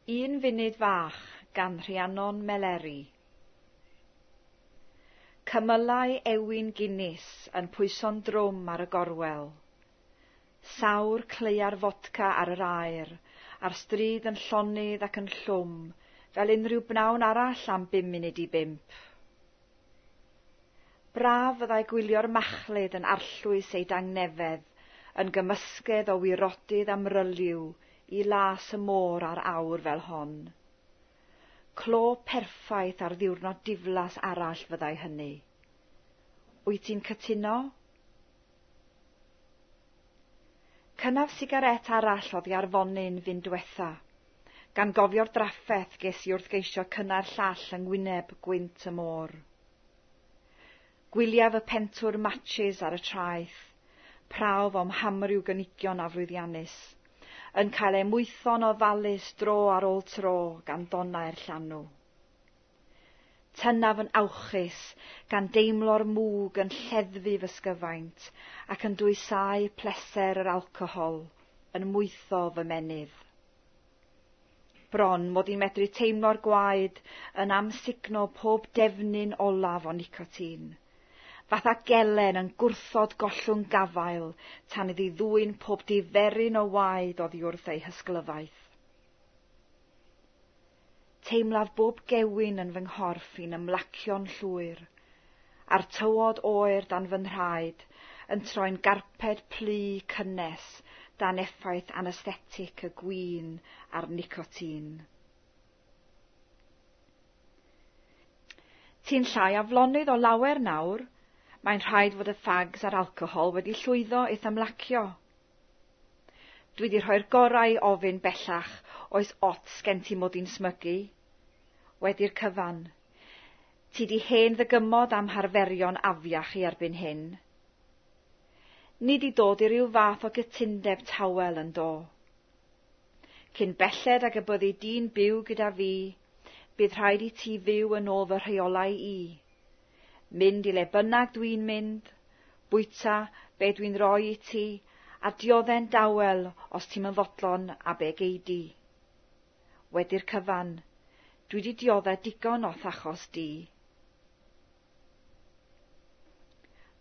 Un funud fach gan Rhiannon Meleri. Cymylau ewin Guinness yn pwyso'n drwm ar y gorwel. Sawr cleiar fodca ar yr aer, a'r stryd yn llonydd ac yn llwm, fel unrhyw bnawn arall am 4:55. Braf fyddai gwylio'r machlud yn arllwys ei dangnefedd, yn gymysgedd o wirodydd amryliw i las y môr ar awr fel hon. Clo perffaith ar ddiwrnod diflas arall fyddai hynny. Wyt ti'n cytuno? Cynnaf sigaret arall oddi ar fonyn fyn diwetha, gan gofio'r draffeth ges i wrth geisio cynnau'r llall yng ngwyneb gwynt y môr. Gwyliaf y pentwr matches ar y traeth, prawf o'm hamryw gynigion aflwyddiannus, yn cael eu mwytho'n ofalus dro ar ôl tro gan donnau'r llanw. Tynnaf yn awchus, gan deimlo'r mwg yn lleddfu fy sgyfaint ac yn dwysáu pleser yr alcohol yn mwytho fy menydd. Bron mod i'n medru teimlo'r gwaed yn amsugno pob defnyn olaf o nicotin, fatha gelen yn gwrthod gollwng gafael tan iddi ddwyn pob diferyn o waed oddi wrth ei hysglyfaeth. Teimlaf bob gewyn yn fy nghorff i'n ymlacio'n llwyr, a'r tywod oer dan fy nhraed yn troi'n garped plu cynnes dan effaith anesthetic y gwin a'r nicotin. Ti'n llai aflonydd o lawer nawr, mae'n rhaid fod y ffags a'r alcohol wedi llwyddo i'th ymlacio. Dwi wedi rhoi'r gorau i ofyn bellach oes ots gen ti mod i'n smygu. Wedi'r cyfan, ti di hen ddygymod am harferion afiach i erbyn hyn. Ni di dod i ryw fath o gytundeb tawel yn do. Cyn belled ag y byddi di'n byw gyda fi, bydd rhaid i ti fyw yn ôl fy rheolau i. Mynd i le bynnag dwi'n mynd, bwyta be dwi'n roi i ti, a diodde'n dawel os ti'm yn fodlon a be gei di. Wedi'r cyfan, dwi di diodde digon o'th achos di.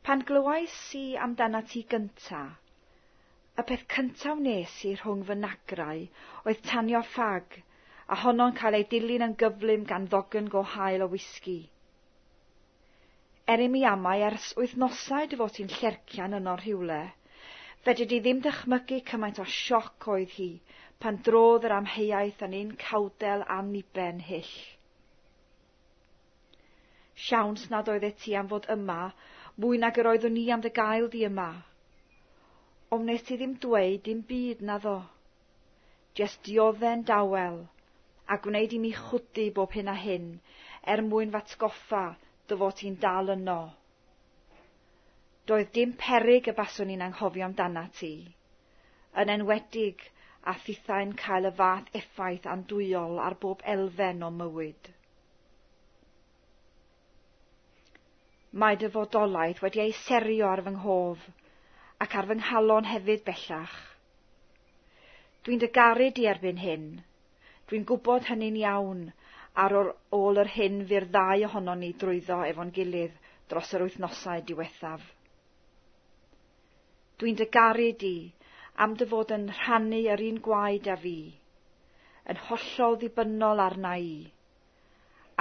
Pan glywais i amdanat ti gynta, y peth cynta wnes i rhwng fy nagrau oedd tanio ffag, a honno'n cael ei dilyn yn gyflym gan ddogn go hael o wisgi. Er i mi amau ers wythnosau dy fod ti'n llercian yno rhywle, fedri di ddim dychmygu cymaint o sioc oedd hi pan drodd yr amheuaeth yn un cawdel anniben hyll. Siawns nad oeddet ti am fod yma mwy nag yr oeddwn i am dy gael di yma. Ond wnes ti ddim dweud dim byd naddo. Jest diodde'n dawel, a gwneud i mi chwdu bob hyn a hyn er mwyn f'atgoffa dy fod ti'n dal yno. Doedd dim peryg y baswn i'n anghofio amdanat ti, yn enwedig a thithau'n cael y fath effaith andwyol ar bob elfen o mywyd. Mae dy fodolaeth wedi ei serio ar fy nghof, ac ar fy nghalon hefyd bellach. Dwi'n dy garu di erbyn hyn. Dwi'n gwybod hynny'n iawn ar ôl yr hyn fu'r ddau ohonon ni drwyddo efo'n gilydd dros yr wythnosau diwethaf. Dwi'n dy garu di am dy fod yn rhannu yr un gwaed â fi, yn hollol ddibynnol arna i,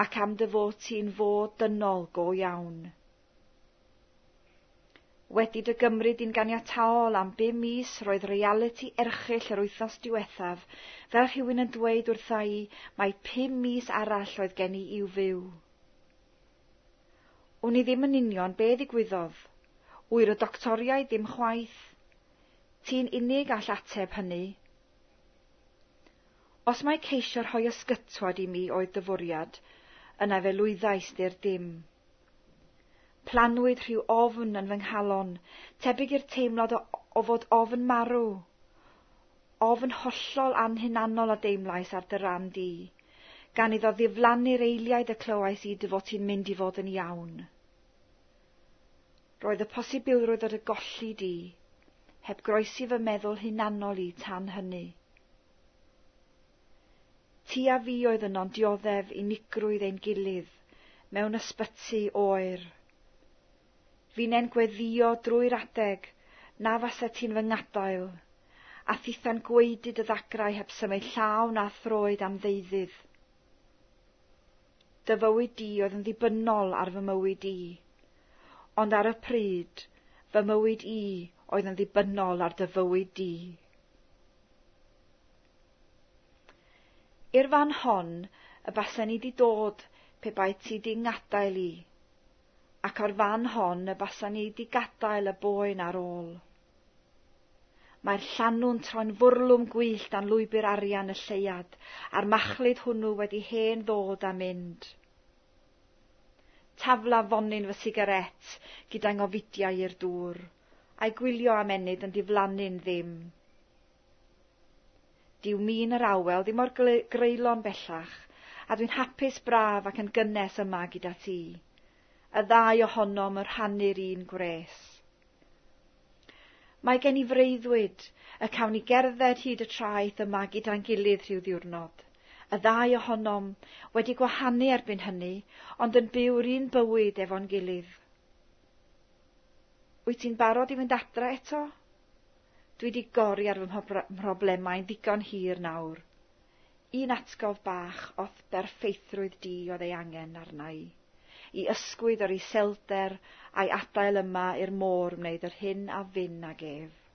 ac am dy fod ti'n fod dynol go iawn. Wedi dy gymryd i'n ganiataol am 5 mis roedd realiti erchyll yr wythnos diwethaf, fel rhywun yn dweud wrtha i mai 5 mis arall oedd gen i i'w fyw. Wn i ddim yn union be ddigwyddodd, wyr y doctoriaid ddim chwaith. Ti'n unig all ateb hynny. Os mai ceisio rhoi ysgytwad i mi oedd dy fwriad, yna fe lwyddais di'r dim. Planwyd rhyw ofn yn fy nghalon, tebyg i'r teimlad o fod ofn marw. Ofn hollol anhunanol a deimlais ar dy ran di, gan iddo ddiflannu'r eiliaid y clywais i dy fod ti'n mynd i fod yn iawn. Roedd y posibilrwydd o dy golli di, heb groesi fy meddwl hunanol i tan hynny. Ti a fi oedd yno'n dioddef unigrwydd ein gilydd mewn ysbyty oer. Fine'n gweddio drwy'r adeg na fasa ti'n fy ngadael, a thitha'n gwaedu dy ddagrau heb symud llaw na throed am ddeuddydd. Dy fywyd di oedd yn ddibynnol ar fy mywyd i, ond ar y pryd, fy mywyd i oedd yn ddibynnol ar dy fywyd di. I'r fan hon y basen i di dod pe bai ti di ngadael i, ac o'r fan hon y basen i di gadael y boen ar ôl. Mae'r llanw'n troi'n fwrlwm gwyllt dan lwybr arian y lleuad, a'r machlud hwnnw wedi hen ddod a mynd. Tafla fonyn fy sigaret gyda ngofidiau i'r dŵr, a'i gwylio am ennyd yn diflannu'n ddim. Dyw min yr awel ddim mor greulon bellach, a dwi'n hapus braf ac yn gynnes yma gyda ti. Y ddau ohonom yn rhannu'r un gwres. Mae gen i freuddwyd y cawn ni gerdded hyd y traeth yma gyda'n gilydd rhyw ddiwrnod. Y ddau ohonom wedi gwahanu erbyn hynny, ond yn byw'r un bywyd efo'n gilydd. Wyt ti'n barod i fynd adra eto? Dwi wedi gori ar fy mhroblemau'n ddigon hir nawr. Un atgof bach o'th berffeithrwydd di oedd ei angen arna i. I ysgwyd o'r iselder a'i adael yma i'r môr wneud yr hyn a fyn ag ef.